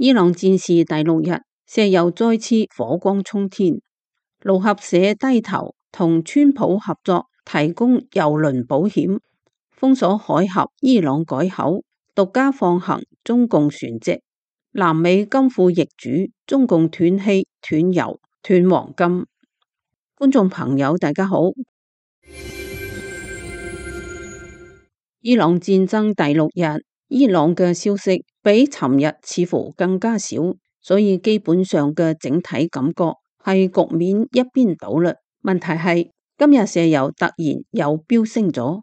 伊朗戰事第6日，石油再次火光衝天。路合社低頭同川普合作提供油輪保險，封鎖海峽伊朗改口，獨家放行中共船隻。南美金庫易主，中共斷氣、斷油、斷黃金。觀眾朋友大家好。伊朗戰爭第6日，伊朗嘅消息比尋日似乎更加少，所以基本上嘅整體感覺係局面一邊倒啦。問題係今日石油突然又飆升咗，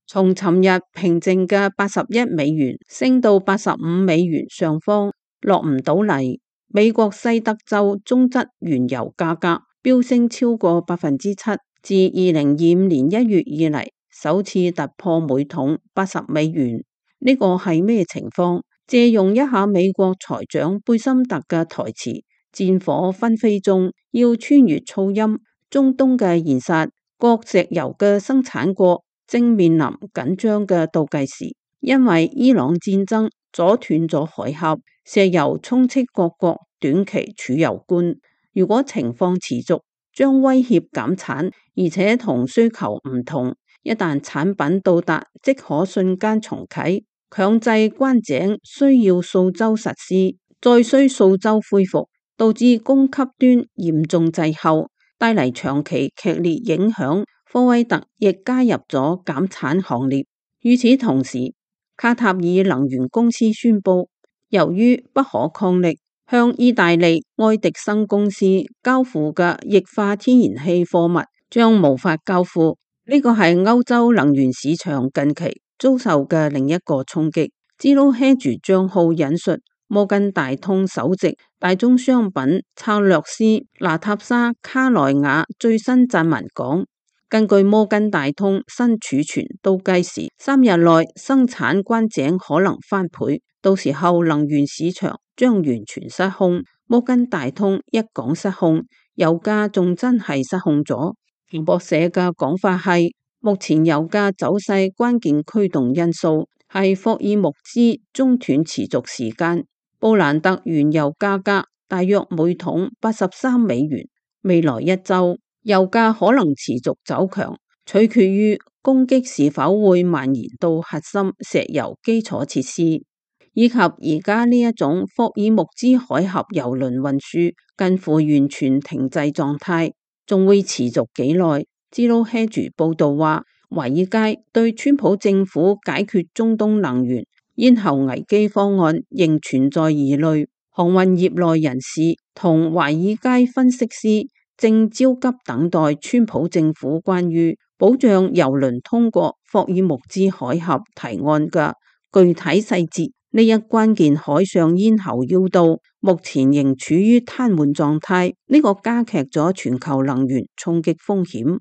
從尋日平靜嘅81美元升到85美元上方，落唔到嚟。美國西德州中質原油價格飆升超過7%，自2025年1月以嚟首次突破每桶80美元。呢個係咩情況？借用一下美國財長貝森特嘅台詞，戰火紛飛中要穿越噪音。中東嘅現實，各石油嘅生產國正面臨緊張嘅倒計時，因為伊朗戰爭阻斷咗海峽，石油充斥各國短期儲油罐。如果情況持續，將威脅減產，而且同需求唔同。一旦產品到達，即可瞬間重啟。強制關井需要數週實施，再需數週恢復，導致供給端嚴重滯後，帶嚟長期劇烈影響。科威特亦加入咗減產行列。與此同時，卡塔爾能源公司宣布，由於不可抗力，向意大利愛迪生公司交付嘅液化天然氣貨物將無法交付。呢個係歐洲能源市場近期遭受嘅另一個衝擊。Zero Hedge 賬號引述摩根大通首席大宗商品策略師娜塔莎卡萊亞最新撰文講，根據摩根大通新儲存倒計時，3日內生產關井可能翻倍，到時候能源市場將完全失控。摩根大通一講失控，油價仲真係失控咗。彭博社嘅講法係，目前油價走勢關鍵驅動因素係霍爾木茲中斷持續時間。布蘭特原油價格大約每桶83美元，未來一周油價可能持續走強，取決於攻擊是否會蔓延到核心石油基礎設施，以及而家呢一種霍爾木茲海峽油輪運輸近乎完全停滯狀態。仲會持續幾耐？Zero Hedge 報道話，華爾街對川普政府解決中東能源咽喉危機方案仍存在疑慮。航運業內人士同華爾街分析師正焦急等待川普政府關於保障油輪通過霍爾木茲海峽提案嘅具體細節。呢一關鍵海上咽喉要道目前仍處於癱瘓狀態，呢個加劇咗全球能源衝擊風險。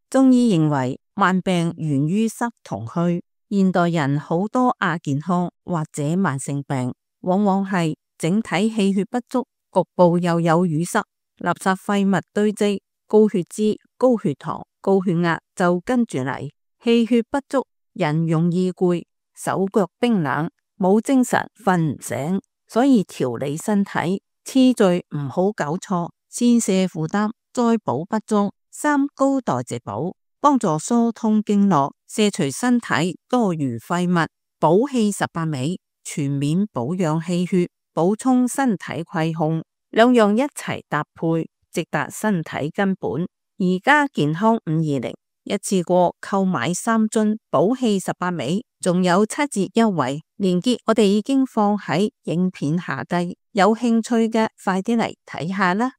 中醫認為慢病源於濕同虛，現代人好多亞健康或者慢性病，往往係整體氣血不足，局部又有淤塞，垃圾廢物堆積，高血脂、高血糖、高血壓就跟住嚟。氣血不足，人容易攰，手腳冰冷，冇精神，瞓唔醒，所以調理身體次序唔好搞錯，先瀉負擔，再補不足，三高代謝補，幫助疏通經絡，卸除身體多餘廢物，補氣18味，全面保養氣血，補充身體虧空，兩樣一齊搭配，直達身體根本。而家健康520一次過購買3樽補氣18味，仲有7折優惠，連結我哋已經放喺影片下低，有興趣嘅快啲嚟睇下啦。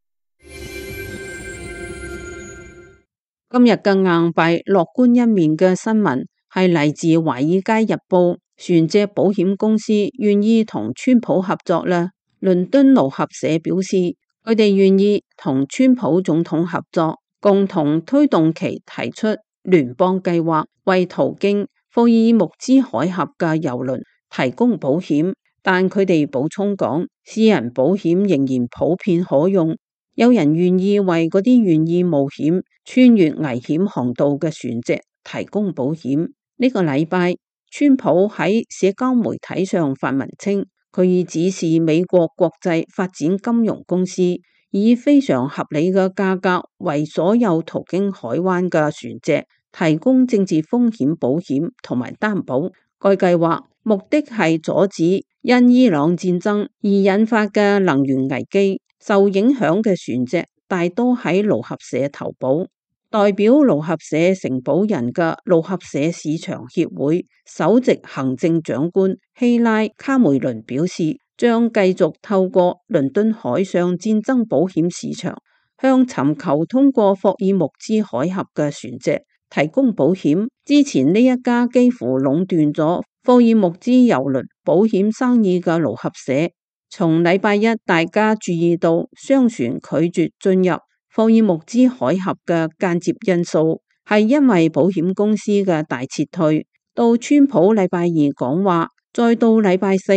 今日嘅硬幣樂觀一面嘅新聞係嚟自華爾街日報，船隻保險公司願意同川普合作啦。倫敦路合社表示，佢哋願意同川普總統合作，共同推動其提出聯邦計劃，為途經霍爾木茲海峽嘅油輪提供保險。但佢哋補充講，私人保險仍然普遍可用，有人願意為嗰啲願意冒險穿越危險航道嘅船隻提供保險。呢個禮拜，川普喺社交媒體上發文稱，佢已指示美國國際發展金融公司以非常合理嘅價格為所有途經海灣嘅船隻提供政治風險保險同埋擔保。該計劃目的係阻止因伊朗戰爭而引發嘅能源危機。受影響嘅船隻大多喺盧合社投保。代表盧合社承保人嘅盧合社市場協會首席行政長官希拉卡梅倫表示，將繼續透過倫敦海上戰爭保險市場向尋求通過霍爾木茲海峽嘅船隻提供保險。之前呢一家幾乎壟斷咗霍爾木茲郵輪保險生意嘅盧合社，從禮拜一大家注意到商船拒絕進入霍爾木茲海峽嘅間接因素，係因為保險公司嘅大撤退。到川普禮拜二講話，再到禮拜四，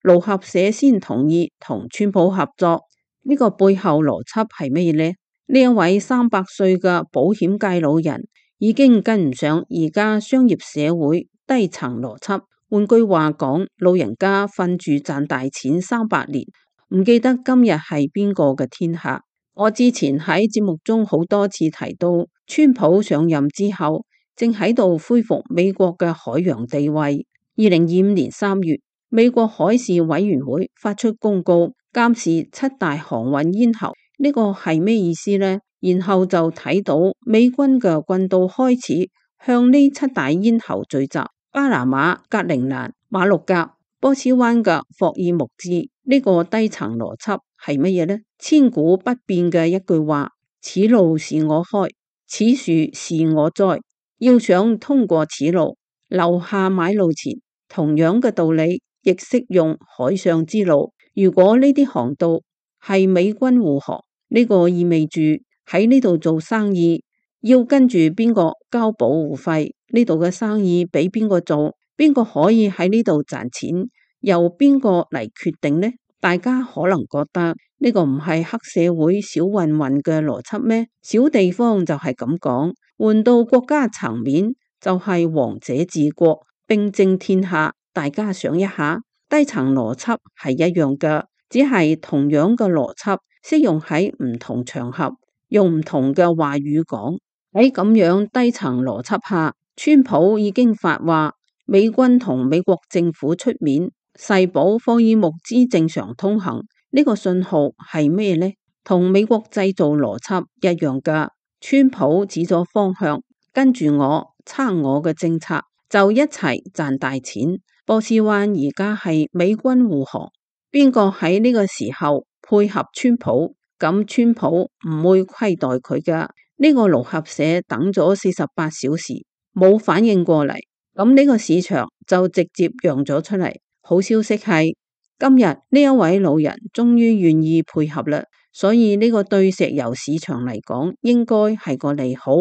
盧合社先同意同川普合作。呢個背後邏輯係咩呢？呢一位300歲嘅保險界老人已經跟唔上而家商業社會低層邏輯。換句話講，老人家瞓住賺大錢300年，唔記得今日係邊個嘅天下。我之前喺節目中好多次提到，川普上任之後正喺度恢復美國嘅海洋地位。2025年3月，美國海事委員會發出公告，監視7大航運咽喉。呢個係咩意思呢？然後就睇到美軍嘅軍刀開始向呢7大咽喉聚集。巴拿馬、格陵蘭、馬六甲、波斯灣嘅霍爾木茲。呢個低層邏輯係乜嘢呢？千古不變嘅一句話：此路是我開，此樹是我栽。要想通過此路，留下買路錢。同樣嘅道理亦適用海上之路。如果呢啲航道係美軍護航，呢個意味住喺呢度做生意要跟住邊個交保護費，呢度嘅生意俾邊個做，邊個可以喺呢度賺錢，由邊個嚟決定呢？大家可能覺得呢個唔係黑社會小混混嘅邏輯咩？小地方就係咁講，換到國家層面就係王者治國，兵正天下。大家想一下，低層邏輯係一樣嘅，只係同樣嘅邏輯適用喺唔同場合，用唔同嘅話語講。喺咁樣低層邏輯下，川普已經發話，美軍同美國政府出面誓保霍爾木茲正常通行。呢個信號係咩呢？同美國製造邏輯一樣噶。川普指咗方向，跟住我撐我嘅政策，就一齊賺大錢。波斯灣而家係美軍護航，邊個喺呢個時候配合川普，咁川普唔會虧待佢噶。呢個盧合社等咗48小時冇反應過嚟，咁呢個市場就直接讓咗出嚟。好消息係今日呢一位老人終於願意配合啦，所以呢個對石油市場嚟講應該係個利好。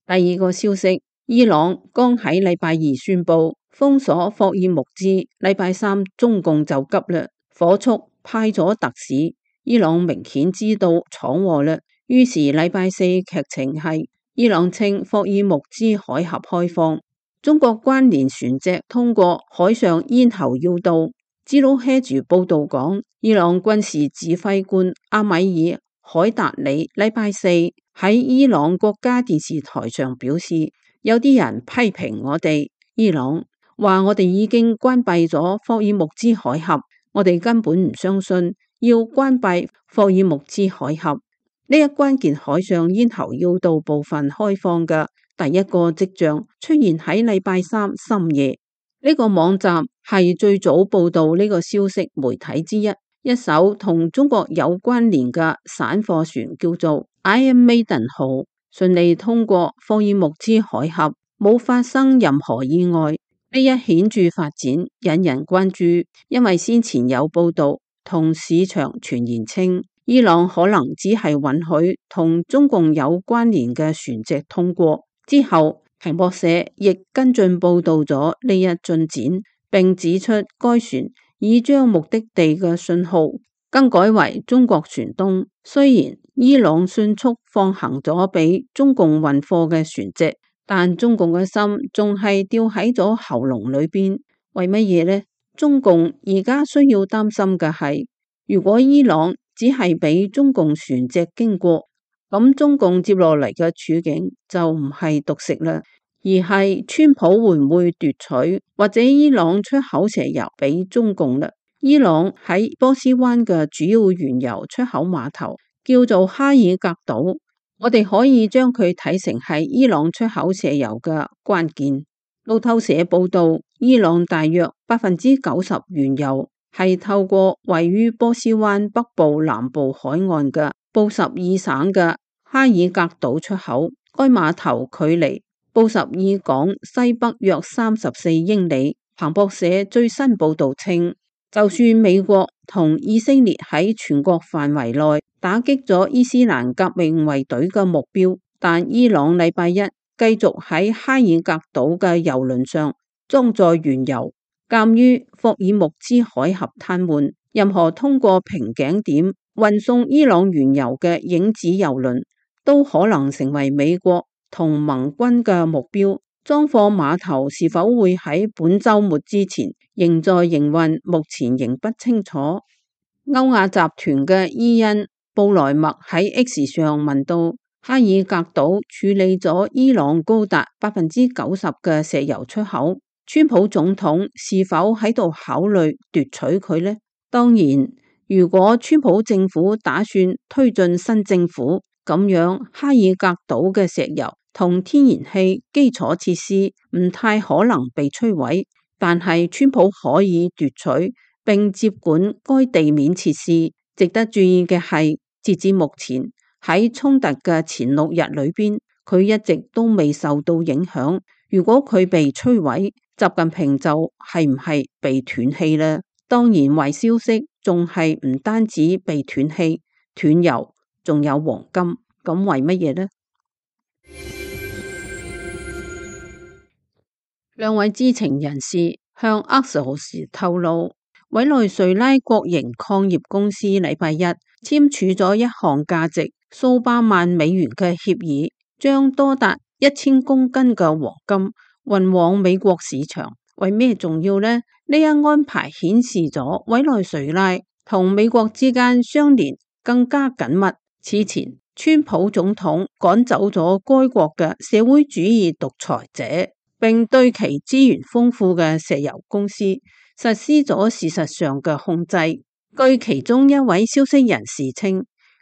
第二個消息，伊朗剛喺禮拜二宣布封鎖霍爾木茲，禮拜三中共就急啦，火速派咗特使。伊朗明顯知道闖禍啦，於是禮拜四劇情係伊朗稱霍爾木茲海峽開放，中國關聯船隻通過海上咽喉要道。茲魯希住報道講，伊朗軍事指揮官阿米爾海達里禮拜四喺伊朗國家電視台上表示，有啲人批評我哋伊朗，話我哋已經關閉咗霍爾木茲海峽，我哋根本唔相信要關閉霍爾木茲海峽。呢一關鍵海上咽喉要道部分開放嘅第一個跡象出現喺禮拜三深夜。呢個網站係最早報道呢個消息媒體之一，一艘同中國有關聯嘅散貨船叫做 Iron Maiden 號，順利通過霍爾木茲海峽，冇發生任何意外。呢一顯著發展引人關注，因為先前有報道同市場傳言稱，伊朗可能只係允許同中共有關聯嘅船隻通過。之後彭博社亦跟進報道咗呢一進展，並指出該船已將目的地嘅信號更改為中國船東。雖然伊朗迅速放行咗俾中共運貨嘅船隻，但中共嘅心仲係吊喺咗喉嚨裏邊。為乜嘢呢？中共而家需要擔心嘅係，如果伊朗只係俾中共船隻經過，咁中共接落嚟嘅處境就唔係獨食啦，而係川普會唔會奪取或者伊朗出口石油俾中共啦？伊朗喺波斯灣嘅主要原油出口碼頭叫做哈爾格島，我哋可以將佢睇成係伊朗出口石油嘅關鍵。路透社報道，伊朗大約90%原油係透過位於波斯灣北部南部海岸嘅布什爾省嘅哈爾格島出口。該碼頭距離布什爾港西北約34英里。彭博社最新報道稱，就算美國同以色列喺全國範圍內打擊咗伊斯蘭革命衛隊嘅目標，但伊朗禮拜一繼續喺哈爾格島嘅油輪上裝載原油。鑒於霍爾木茲海峽癱瘓，任何通過瓶頸點運送伊朗原油嘅影子油輪都可能成為美國同盟軍嘅目標。裝貨碼頭是否會喺本週末之前仍在營運，目前仍不清楚。歐亞集團嘅伊恩布萊默喺 X 上問到，哈爾格島處理咗伊朗高達90%嘅石油出口，川普總統是否喺度考慮奪取佢呢？當然，如果川普政府打算推進新政府，咁樣哈爾格島嘅石油同天然氣基礎設施唔太可能被摧毀，但係川普可以奪取並接管該地面設施。值得注意嘅係，截至目前，喺衝突嘅前6日裏邊，佢一直都未受到影響。如果佢被摧毀，習近平就係唔係被斷氣呢？當然，壞消息仲係唔單止被斷氣、斷油，仲有黃金。咁為乜嘢呢？兩位知情人士向阿什豪時透露，委內瑞拉國營礦業公司禮拜一簽署咗一項價值數百萬美元嘅協議，將多達1000公斤嘅黃金運往美國市場。為咩重要呢？呢一安排顯示咗委內瑞拉同美國之間相連更加緊密。此前，川普總統趕走咗該國嘅社會主義獨裁者，並對其資源豐富嘅石油公司實施咗事實上嘅控制。據其中一位消息人士稱，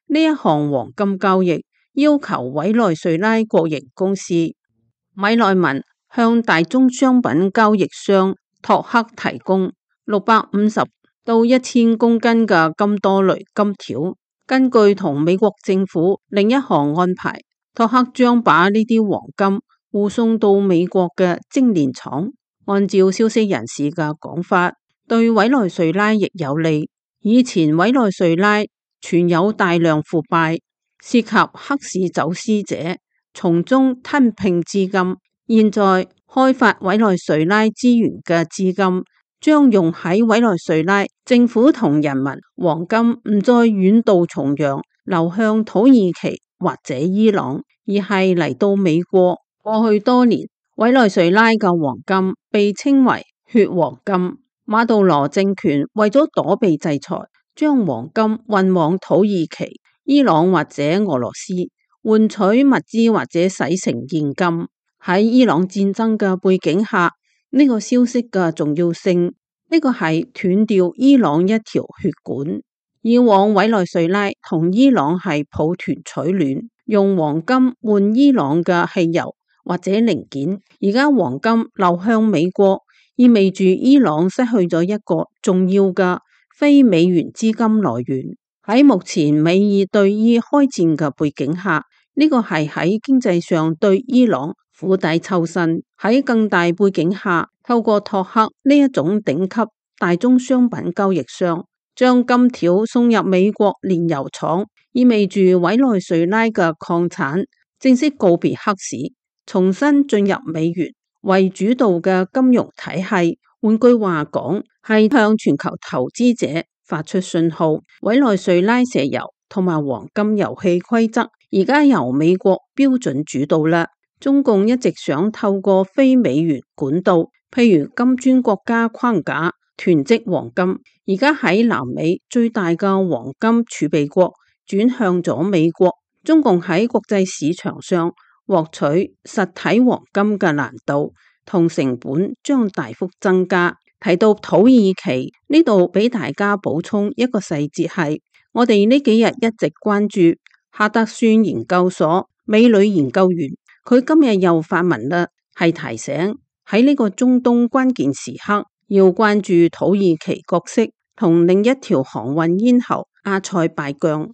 呢一項黃金交易要求委內瑞拉國營公司米內文向大宗商品交易商托克提供650到1000公斤嘅金多雷金條。根據同美國政府另一項安排，托克將把呢啲黃金護送到美國嘅精煉廠。按照消息人士嘅講法，對委內瑞拉亦有利。以前委內瑞拉存有大量腐敗，涉及黑市走私者從中吞併資金。現在開發委內瑞拉資源嘅資金將用喺委內瑞拉政府同人民，黃金唔再遠渡重洋流向土耳其或者伊朗，而係嚟到美國。過去多年，委內瑞拉嘅黃金被稱為血黃金。馬杜羅政權為咗躲避制裁，將黃金運往土耳其、伊朗或者俄羅斯，換取物資或者洗成現金。喺伊朗戰爭嘅背景下，呢個消息嘅重要性，呢個係斷掉伊朗一條血管。以往委內瑞拉同伊朗係抱團取暖，用黃金換伊朗嘅汽油或者零件。而家黃金流向美國，意味住伊朗失去咗一個重要嘅非美元資金來源。喺目前美伊對伊開戰嘅背景下，呢個係喺經濟上對伊朗釜底抽薪。喺更大背景下，透過托克呢一種頂級大宗商品交易商將金條送入美國煉油廠，意味住委內瑞拉嘅礦產正式告別黑市，重新進入美元為主導嘅金融體系。換句話講，係向全球投資者發出信號，委內瑞拉石油同埋黃金遊戲規則而家由美國標準主導啦。中共一直想透過非美元管道，譬如金磚國家框架囤積黃金。而家喺南美最大嘅黃金儲備國轉向咗美國，中共喺國際市場上獲取實體黃金嘅難度同成本將大幅增加。提到土耳其呢度，俾大家補充一個細節係，我哋呢幾日一直關注哈德遜研究所美女研究員，佢今日又發文啦，係提醒喺呢個中東關鍵時刻要關注土耳其角色同另一條航運咽喉阿塞拜疆。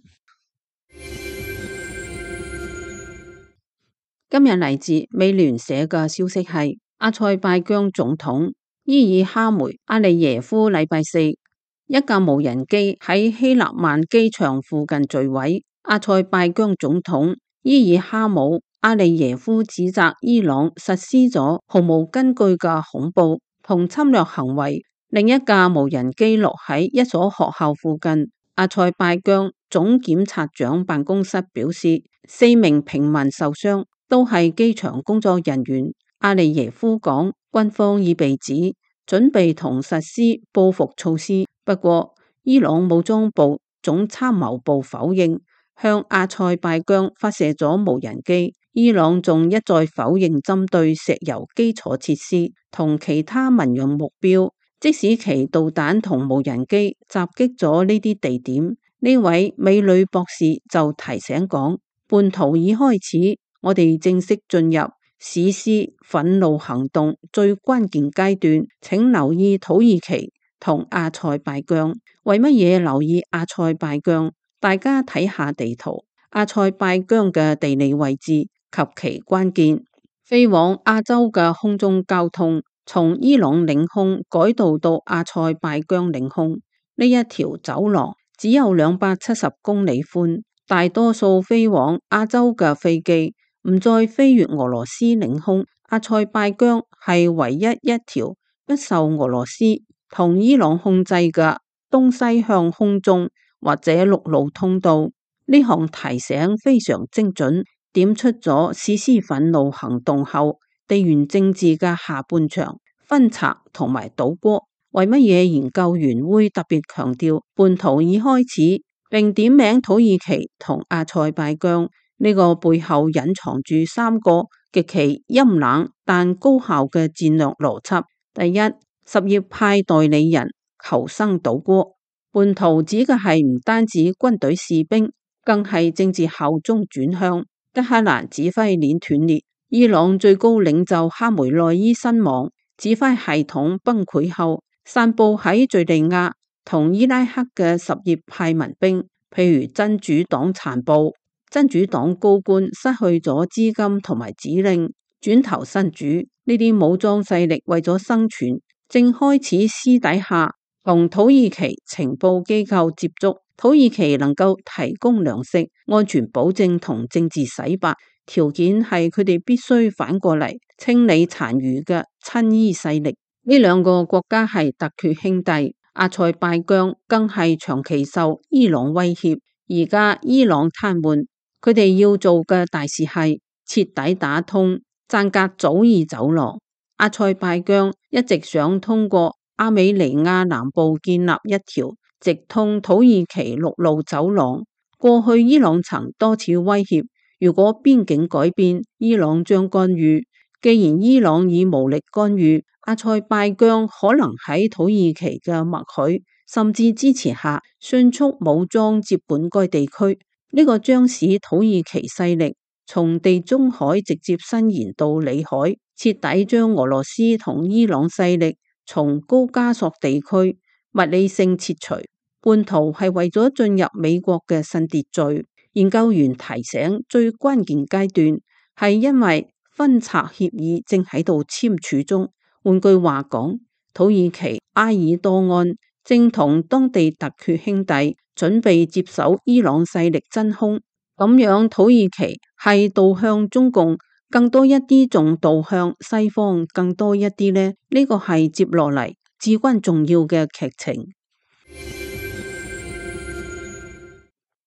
今日嚟自美聯社嘅消息係，阿塞拜疆總統伊爾哈梅阿利耶夫禮拜四一架無人機喺希臘曼機場附近墜毀。阿塞拜疆總統伊爾哈姆阿利耶夫指責伊朗實施咗毫無根據嘅恐怖同侵略行為。另一架無人機落喺一所學校附近。阿塞拜疆總檢察長辦公室表示，4名平民受傷，都係機場工作人員。阿利耶夫講，軍方已被指準備同實施報復措施。不過，伊朗武裝部總參謀部否認向阿塞拜疆發射咗無人機。伊朗仲一再否認針對石油基礎設施同其他民用目標，即使其導彈同無人機襲擊咗呢啲地點。呢位美女博士就提醒講，叛徒已開始，我哋正式進入實施憤怒行動最關鍵階段，請留意土耳其同阿塞拜疆。為乜嘢留意阿塞拜疆？大家睇下地圖，阿塞拜疆嘅地理位置及其關鍵。飛往亞洲嘅空中交通從伊朗領空改道到阿塞拜疆領空，呢一條走廊只有270公里寬，大多數飛往亞洲嘅飛機唔再飛越俄羅斯領空。阿塞拜疆係唯一一條不受俄羅斯同伊朗控制嘅東西向空中或者陸路通道。呢項提醒非常精準，點出咗實施憤怒行動後地緣政治嘅下半場分拆同埋倒戈。為乜嘢研究員會特別強調叛徒已開始，並點名土耳其同阿塞拜疆？呢個背後隱藏住3個極其陰冷但高效嘅戰略邏輯。第一，什葉派代理人求生倒戈。叛徒指嘅係唔單止軍隊士兵，更係政治效忠轉向。德黑蘭指揮鏈斷裂，伊朗最高領袖哈梅內伊身亡，指揮系統崩潰後，散布喺敘利亞同伊拉克嘅什葉派民兵，譬如真主黨殘部，真主黨高官失去咗資金同埋指令，轉投真主。呢啲武裝勢力為咗生存，正開始私底下同土耳其情報機構接觸。土耳其能夠提供糧食、安全保證同政治洗白，條件係佢哋必須反過嚟清理殘餘嘅親伊勢力。呢2個國家係突厥兄弟，阿塞拜疆更係長期受伊朗威脅。而家伊朗癱瘓，佢哋要做嘅大事係徹底打通贊格祖爾走廊。阿塞拜疆一直想通過阿美尼亞南部建立一條直通土耳其陸路走廊。過去伊朗曾多次威脅，如果邊境改變，伊朗將干預。既然伊朗已無力干預，阿塞拜疆可能喺土耳其嘅默許甚至支持下，迅速武裝接管該地區。呢個將使土耳其勢力從地中海直接伸延到裏海，徹底將俄羅斯同伊朗勢力從高加索地區物理性撤除。叛徒係為咗進入美國嘅新秩序。研究員提醒，最關鍵階段係因為分拆協議正喺度簽署中。換句話講，土耳其埃爾多安正同當地突厥兄弟準備接手伊朗勢力真空。咁樣土耳其係導向中共更多一啲，仲導向西方更多一啲呢？呢個係接落嚟至關重要嘅劇情。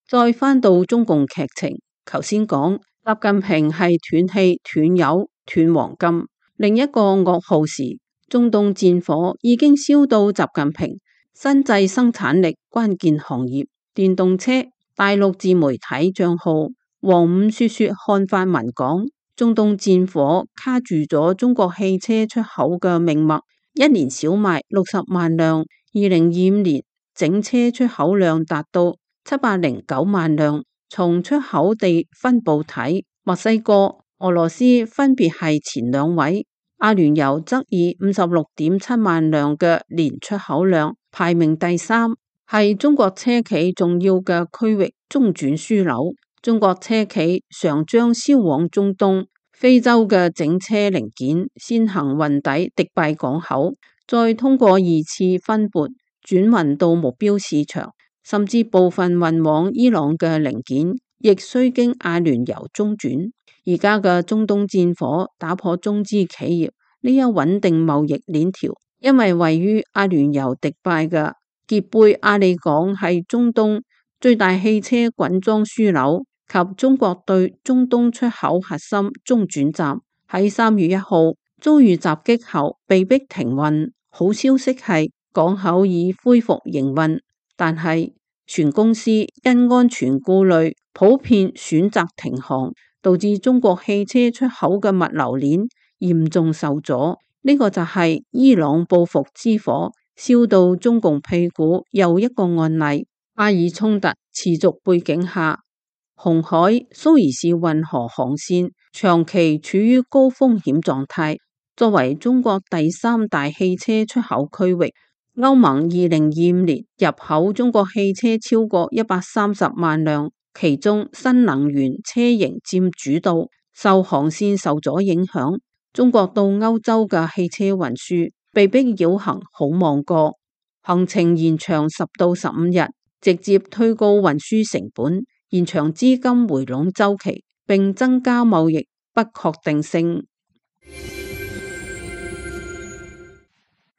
再返到中共劇情，頭先講習近平係斷氣、斷油、斷黃金。另一個噩耗是，中東戰火已經燒到習近平新製生產力關鍵行業電動車。大陸自媒體賬號黃午說說看法文講，中東戰火卡住咗中國汽車出口嘅命脈，一年少賣60萬輛，2025年整車出口量達到709萬輛。從出口地分布睇，墨西哥、俄羅斯分別係前兩位，阿聯酋則以56.7萬輛嘅年出口量排名第三，係中國車企重要嘅區域中轉樞紐。中國車企常將銷往中東、非洲嘅整車零件先行運抵迪拜港口，再通過2次分撥轉運到目標市場。甚至部分運往伊朗嘅零件，亦需經阿聯酋中轉。而家嘅中東戰火打破中資企業呢一穩定貿易鏈條，因為位於阿聯酋迪拜嘅傑貝阿里港係中東最大汽車滾裝樞紐及中國對中東出口核心中轉站，喺3月1號遭遇襲擊後被迫停運。好消息係港口已恢復營運，但係船公司因安全顧慮，普遍選擇停航，導致中國汽車出口嘅物流鏈嚴重受阻。呢個就係伊朗報復之火燒到中共屁股又一個案例。巴以衝突持續背景下，紅海、蘇伊士運河航線長期處於高風險狀態。作為中國第3大汽車出口區域，歐盟2025年入口中國汽車超過130萬輛，其中新能源車型佔主導。受航線受阻影響，中國到歐洲嘅汽車運輸被迫繞行好望角，行程延長10到15日，直接推高運輸成本，延長資金回籠週期，並增加貿易不確定性。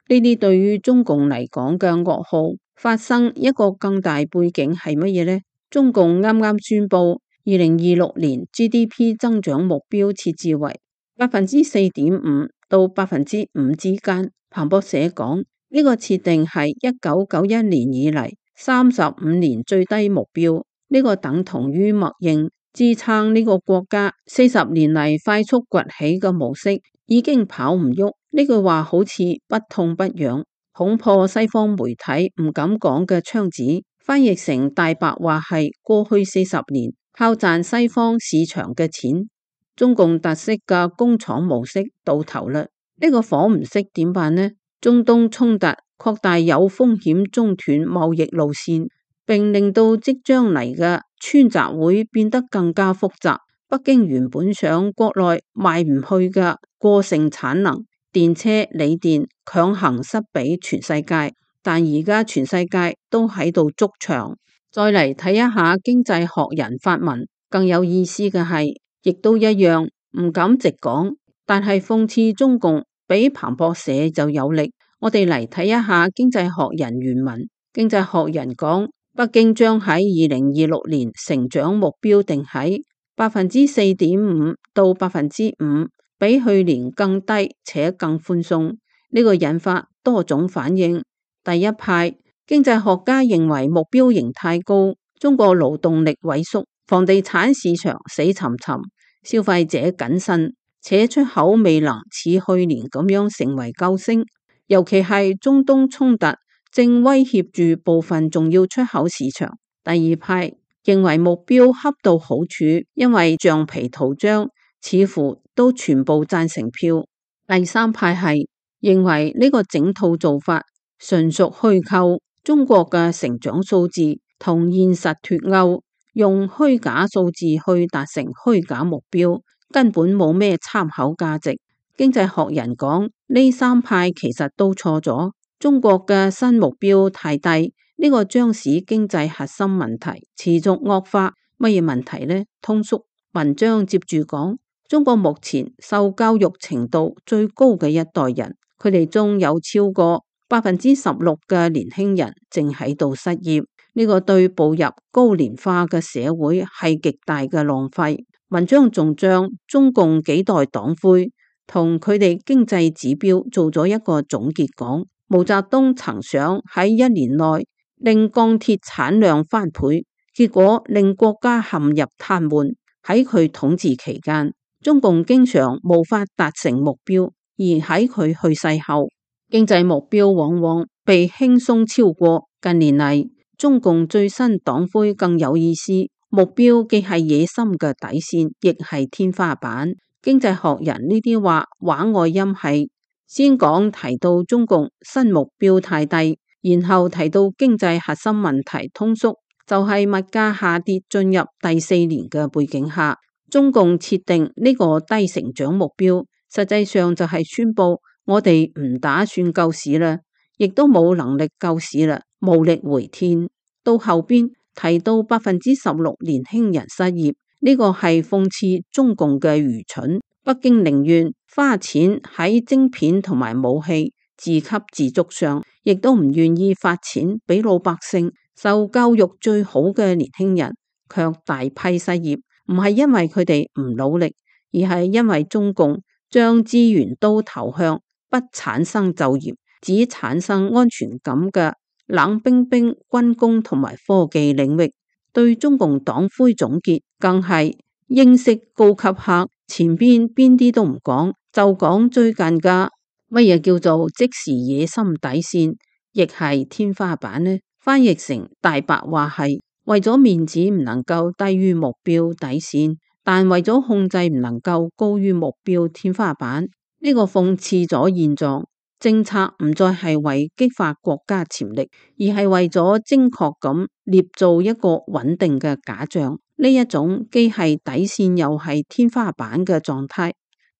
呢啲對於中共嚟講嘅噩耗發生一個更大背景係乜嘢呢？中共啱啱宣布2026年 GDP 增長目標設置為4.5%到5%之間。彭博社講，呢個設定係1991年以嚟35年最低目標，呢個等同於默認支撐呢個國家40年嚟快速崛起嘅模式已經跑唔喐。呢句話好似不痛不癢，恐破西方媒體唔敢講嘅窗子，翻譯成大白話係過去40年靠賺西方市場嘅錢，中共特色嘅工廠模式到頭啦。呢個火唔熄點辦呢？中東衝突擴大有風險中斷貿易路線，並令到即將嚟嘅川習會變得更加複雜。北京原本想國內賣唔去嘅過剩產能電車、鋰電強行塞俾全世界，但而家全世界都喺度築牆。再嚟睇一下經濟學人發文，更有意思嘅係，亦都一樣唔敢直講，但係諷刺中共比彭博社就有力。我哋嚟睇一下經濟學人原文。經濟學人講，北京將喺2026年成長目標定喺4.5%到5%，比去年更低且更寬鬆。呢個引發多種反應。第一派經濟學家認為目標仍太高，中國勞動力萎縮，房地產市場死沉沉，消費者謹慎，且出口未能似去年咁樣成為救星。尤其係中東衝突正威脅住部分重要出口市場。第二派認為目標恰到好處，因為橡皮圖章似乎都全部贊成票。第三派係認為呢個整套做法純屬虛構，中國嘅成長數字同現實脫鈎，用虛假數字去達成虛假目標，根本冇咩參考價值。經濟學人講，呢三派其實都錯咗，中國嘅新目標太低，呢個將使經濟核心問題持續惡化。乜嘢問題呢？通俗文章接住講，中國目前受教育程度最高嘅一代人，佢哋中有超過16%嘅年輕人正喺度失業，呢個對步入高齡化嘅社會係極大嘅浪費。文章仲將中共幾代黨魁同佢哋經濟指標做咗一個總結講，毛澤東曾想喺1年內令鋼鐵產量翻倍，結果令國家陷入癱瘓。喺佢統治期間，中共經常無法達成目標，而喺佢去世後，經濟目標往往被輕鬆超過。近年嚟，中共最新黨魁更有意思，目標既係野心嘅底線，亦係天花板。經濟學人呢啲話話外音係先講提到中共新目標太低，然後提到經濟核心問題通縮，就係物價下跌進入第4年嘅背景下，中共設定呢個低成長目標，實際上就係宣布我哋唔打算救市啦，亦都冇能力救市啦，無力回天。到後邊提到16%年輕人失業，呢個係諷刺中共嘅愚蠢。北京寧願花錢喺晶片同埋武器自給自足上，亦都唔願意發錢俾老百姓受教育最好嘅年輕人，卻大批失業。唔係因為佢哋唔努力，而係因為中共將資源都投向不產生就業，只產生安全感嘅冷冰冰軍工同埋科技領域。對中共黨魁總結更係英式高級客，前邊邊啲都唔講，就講最近嘅乜嘢叫做即時野心底線，亦係天花板呢？翻譯成大白話係為咗面子唔能夠低於目標底線，但為咗控制唔能夠高於目標天花板。呢個諷刺咗現狀，政策唔再係為激發國家潛力，而係為咗精確咁捏造一個穩定嘅假象。呢一種既係底線又係天花板嘅狀態，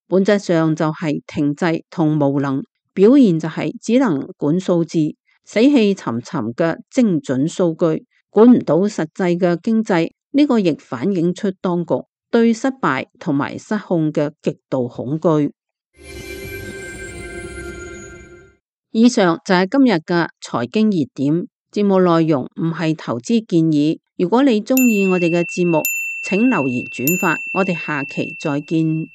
本質上就係停滯同無能，表現就係只能管數字，死氣沉沉嘅精準數據，管唔到實際嘅經濟。呢個亦反映出當局對失敗同埋失控嘅極度恐懼。以上就係今日嘅財經熱點，節目內容唔係投資建議。如果你鍾意我哋嘅節目，請留言轉發，我哋下期再見。